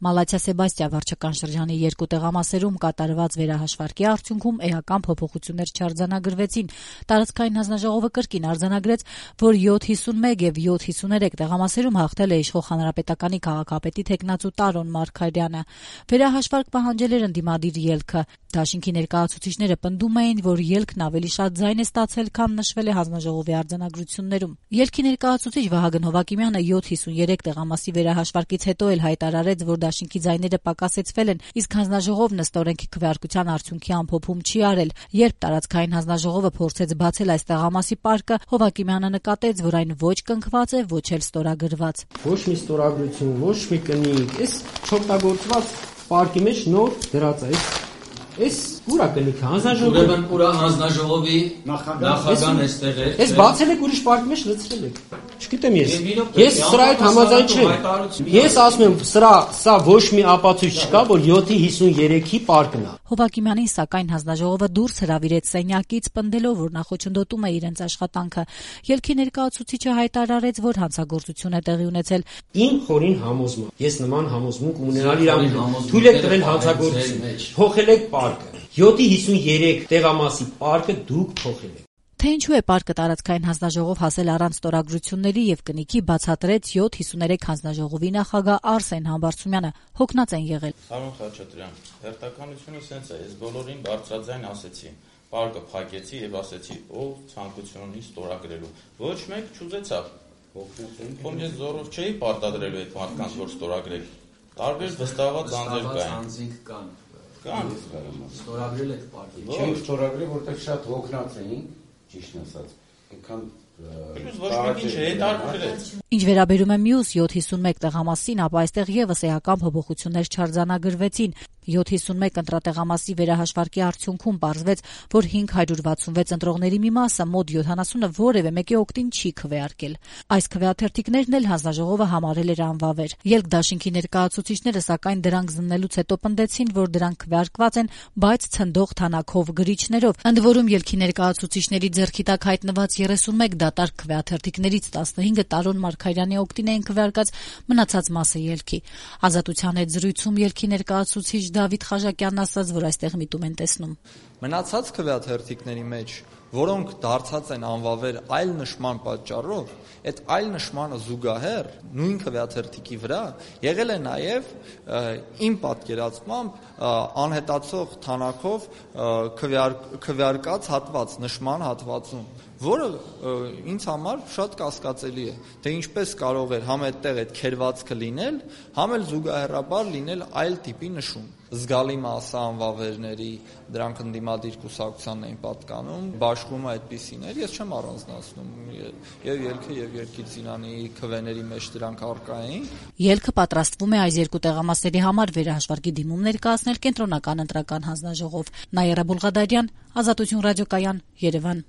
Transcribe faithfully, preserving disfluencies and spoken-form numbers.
Մալաթիա Սեբաստիա վարչական շրջանի երկու տեղամասերում կատարված վերահաշվարկի արդյունքում էական փոփոխություններ չարձանագրվեցին։ Տարածքային հանձնաժողովը կրկին արձանագրեց, որ յոթ հիսունմեկ եւ յոթ հիսուներեք տեղամասերում հաղթել է իշխող Հանրապետականի քաղաքապետի թեկնածու Տարոն Մարգարյանը։ Վերահաշվարկ պահանջել էր ընդդիմադիր ելքը։ Դաշինքի ներկայացուցիչները պնդում էին, որ ելքն ավելի շատ ձայն է ստացել, քան նշվել է հանձնաժողովի արձանագրություններում։ Ելքի ներկայացուցիչ Վահագն Հովակիմյանը յոթ հիսուներեք տեղամասի վերահաշվարկից հետո էլ հայտարարեց, որ դաշինքի ձայները պակասեցվել են, իսկ հանձնաժողովն ըստ օրենքի քվեարկության արդյունքի ամփոփում չի արել։ Երբ տարածքային հանձնաժողովը փորձեց բացել այս տեղամասի պարկը, Հովակիմյանը նկատեց, որ այն ոչ կնքված է, ոչ էլ ստորագրված։ Ոչ մի ստորագրություն, ոչ մի կնիկ, այս չօգտագործված պարկի մեջ նոր դրած է։ Այս ուրա կնիքը հանձնաժողովի Ուրեմն ուրա հանձնաժողովի նախագահան էստեղ է։ Այս բացել եք ուրիշ պարկի մեջ լցրել եք։ Չգիտեմ ես։ Ես սրա հետ համաձայն չեմ։ Ես ասում եմ, սրա սա ոչ մի ապացույց չկա, որ յոթ հիսուներեքի պարկն է։ Հովակիմյանին սակայն հանձնաժողովը դուրս հրավիրեց սենյակից, պնդելով, որ նախոչնդոտում է իրենց աշխատանքը։ Ելքի ներկայացուցիչը հայտարարեց, որ հանցագործություն է տեղի ունեցել։ Իմ խորին համոզում եմ։ Ես նման համոզմունք ունենալ իրավունք թույլ եք տվել հանցագործություն։ Փոխել եք պարկը։ յոթ հիսուներեք տեղամասի պարկը դուք փոխել եք։ Թե ինչու է պարկը տարածքային հանձնաժողով հասել առանց ստորագրությունների եւ կնիքի բացատրեց յոթ հիսուներեք հանձնաժողովի նախագահ Արսեն Համբարձումյանը։ Հոգնած են եղել։ Պարոն Խաչատրյան, հերթականությունը սենց է, ես բոլորին բարձրաձայն ասեցի, պարկը փակեցի եւ ասեցի, ով ցանկություն ունի ստորագրելու։ Ոչ մեկ չուզեցավ։ Ում ես զորով չէի պարտադրելու այդ մարդկանց, որ ստորագրեք։ Տարբեր վստահված անձեր կային։ Կան։ Ստորագրել եք պարկը։ Չենք ստորագրել, որտեղ շատ հոգնած էին, ճիշտ ասած։ Այնքան Ինչ վերաբերում է մյուս յոթ հիսունմեկ տեղամասին, ապա այստեղ եւս էական փոփոխություններ չարձանագրվեցին։ յոթ հիսունմեկ ընտրատեղամասի վերահաշվարկի արդյունքում պարզվեց, որ հինգ հարյուր վաթսունվեց ընտրողների մի մասը մոտ յոթանասունը որևէ մեկի օգտին չի քվեարկել։ Այս քվեաթերթիկներն էլ հանձնաժողովը համարել էր անվավեր։ Ելք դաշինքի ներկայացուցիչները սակայն դրանք զննելուց հետո պնդեցին, որ դրանք քվեարկված են, բայց ցնդող թանաքով գրիչներով։ Ընդ որում ելքի ներկայացուցիչների ձեռքի տակ հայտնված երեսունմեկ դատարկ քվեաթերթիկներից տասնհինգը Տարոն Մարգարյանի օգտին էին քվեարկած, մնացած մասը ելքի։ Ազատության հետ զրույցում ելքի ներկայացուցիչ Դավիթ Խաչակյանն ասաց, որ այստեղ միտում են տեսնում։ Մնացած քվեաթերթիկների մեջ, որոնք դարձած են անվավեր այլ նշման պատճառով, այդ այլ նշմանը զուգահեռ նույն քվեաթերթիկի վրա եղել է նաև իմ պատկերացմամբ անհետացող թանաքով քվեարկած հատված, նշման հատվածում, որը ինձ համար շատ կասկածելի է, թե ինչպես կարող էր համ այդտեղ այդ քերվածքը լինել, համ էլ զուգահեռաբար լինել այլ տիպի նշում։ Զգալի մասը անվավերների դրանք ընդդիմադիր կուսակցությանն էին պատկանում, բաշխումը այդպիսիներ, ես չեմ առանձնացնում, եւ ելքը եւ Երկիր Ծիրանի քվեների մեջ դրանք առկա էին։ Ելքը պատրաստվում է այս երկու տեղամասերի համար վերահաշվարկի դիմում ներկայացնել կենտրոնական ընտրական հանձնաժողով։ Նաիրա Բուլղադարյան, Ազատություն ռադիոկայան, Երևան։